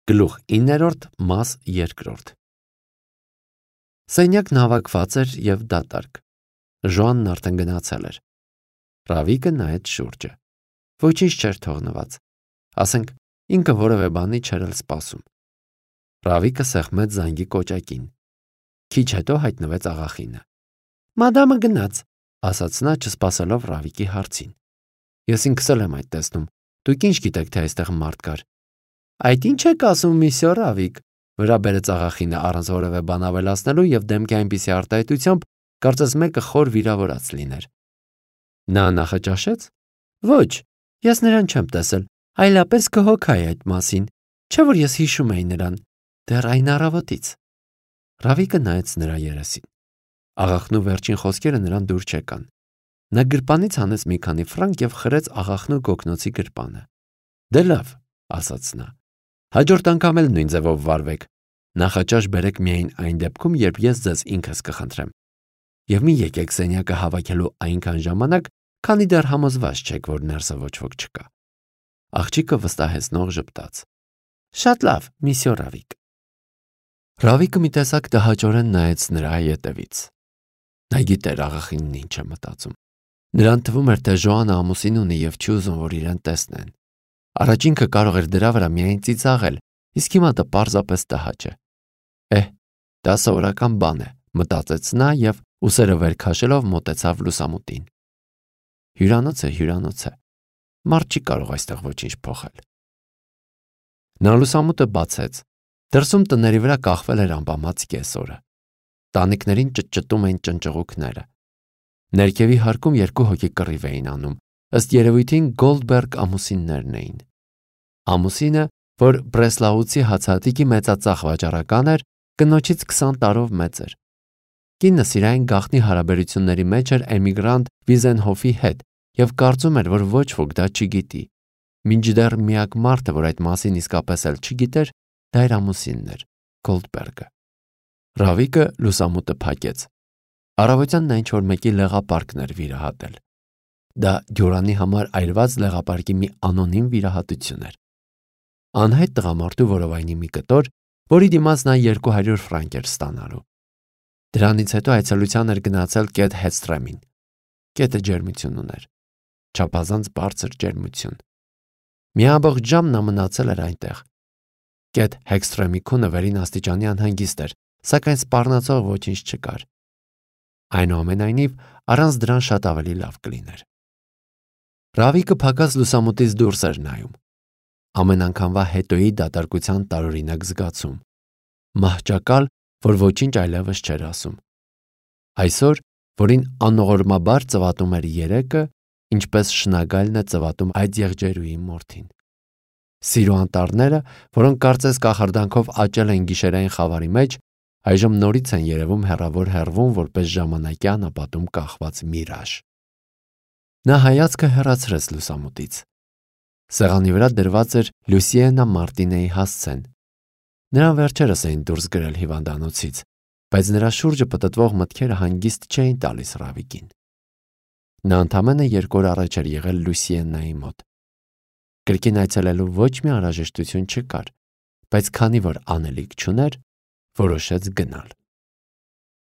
Գլուխ 9-րդ մաս 2-րդ Սենյակն հավաքված էր և դատարկ։ Ժոանն արդեն գնացել էր։ Ռավիկը նայեց շուրջը։ Ոչինչ չէր թողնված։ Ասենք ինքը որևէ բանի չէր էլ սպասում։ Ռավիկը սեղմեց զանգի կոճակին։ Քիչ հետո հայտնվեց աղախինը։ «Մադամը գնաց», ասաց նա, չսպասելով Ռավիկի հարցին։ «Ես ինքս էլ եմ այդ տեսնում։ Դուք ինչ գիտեք, թե այստեղ մարդ կար»։ «Այդ ինչ եք ասում, միսյո Ռավիկ», վրա բերեց աղախինը առանց որևէ բան ավելացնելու և դեմքի այնպիսի արտահայտությամբ, կարծես մեկը խոր վիրավորած լիներ։ Նա նախաճաշեց։ «Ոչ, ես նրան չեմ տեսել, այլապես կհոգայի այդ մասին, չէ՞ որ ես հիշում էի նրան, դեռ այն առավոտից»։ Ռավիկը նայեց նրա երեսին։ Աղախնու վերջին խոսքերը նրան դուր չեկան։ Նա գրպանից հանեց մի քանի ֆրանկ և խրեց աղախնու գոգնոցի գրպանը։ «Դե լավ», ասաց նա, «հաջորդ անգամ էլ նույն ձևով վարվեք։ Նախաճաշ բերեք միայն այն դեպքում, երբ ես ձեզ ինքս կխնդրեմ։ Եվ մի եկեք սենյակը հավաքելու այնքան ժամանակ, քանի դեռ համոզված չեք, որ ներսը ոչ ոք չկա»։ Աղջիկը վստահեցնող ժպտաց։ «Շատ լավ, միսյո Ռավիկ»։ Ռավիկը մի տեսակ տհաճորեն նայեց նրա ետևից։ Նա գիտեր աղախինն ինչ է մտածում։ Նրան թվում էր, թե Ժոանը ամուսին ունի և չի ուզում, որ իրեն տեսնեն։ Առաջ ինքը կարող էր դրա վրա միայն ծիծաղել, իսկ հիմա դա պարզապես տհաճ է։ Դա սովորական բան է, մտածեց նա և ուսերը վեր քաշելով մոտեցավ լուսամուտին։ Հյուրանոց է։ Մարդ չի կարող այստեղ ոչինչ փոխել։ Նա լուսամուտը բացեց։ Դրսում տների վրա կախվել էր ամպամած կեսօրը։ Տանիքներին ճտճտում էին ճնճղուկները։ Ներքևի հարկում երկու հոգի կռիվ էին անում, ըստ երևույթին Գոլդբերգ ամուսիններն էին։ Ամուսինը, որ Բրեսլաուցի հացահատիկի մեծածախ վաճառական էր, կնոջից 20 տարով մեծ էր։ Կինը սիրային գաղտնի հարաբերությունների մեջ էր էմիգրանտ Վիզենհոֆի հետ և կարծում էր, որ ոչ ոք դա չգիտի։ Մինչդեռ միակ մարդը, որ այդ մասին իսկապես էլ չգիտեր, դա էր ամուսինն էր, Գոլդբերգը։ Ռավիկը լուսամուտը փակեց։ Առավոտյան նա ինչ-որ մեկի լեղապարկն էր վիրահատել։ Դա Դյուրանի համար այրված լեղապարկի մի անոնիմ վիրահատություն էր։ Անհայտ տղամարդու որովայնի մի կտոր, որի դիմաց նա 200 ֆրանկ էր ստանալու։ Դրանից հետո այցելության էր գնացել Կետ Հեդսթրեմին։ Կետը ջերմություն ուներ։ Չափազանց բարձր ջերմություն։ Մի ամբողջ ժամ նա մնացել էր այնտեղ։ Կետ Հեդսթրեմի քունը վերին աստիճանի անհանգիստ էր, սակայն սպառնացող ոչինչ չկար։ Այնուամենայնիվ, առանց դրան շատ ավելի լավ կլիներ։ Ռավիկը փակած լուսամուտից դուրս էր նայում։ Ամեն անգամվա հետոյի դատարկության տարօրինակ զգացում։ Մահճակալ, որ ոչինչ այլևս չէր ասում։ Այսօր, որին անողորմաբար ծվատում էր երեկը, ինչպես շնագալն է ծվատում այդ եղջերուի մորթին։ Սիրո անտառները, որոնք կարծես կախարդանքով աճել են գիշերային խավարի մեջ, այժմ նորից են երևում հեռավոր հեռվում որպես ժամանակի անապատում կախված միրաժ։ Նա հայացքը հեռացրեց լուսամուտից։ Սեղանի վրա դրված էր Լուսիենա Մարտինեի հասցեն։ Նրան վերջերս էին դուրս գրել հիվանդանոցից, բայց նրա շուրջը պտտվող մտքերը հանգիստ չէին տալիս Ռավիկին։ Նա ընդամենը 2 օր առաջ էր եղել Լուսիենայի մոտ։ Կրկին այցելելու ոչ մի անհրաժեշտություն չկար, բայց քանի որ անելիք չուներ, որոշեց գնալ։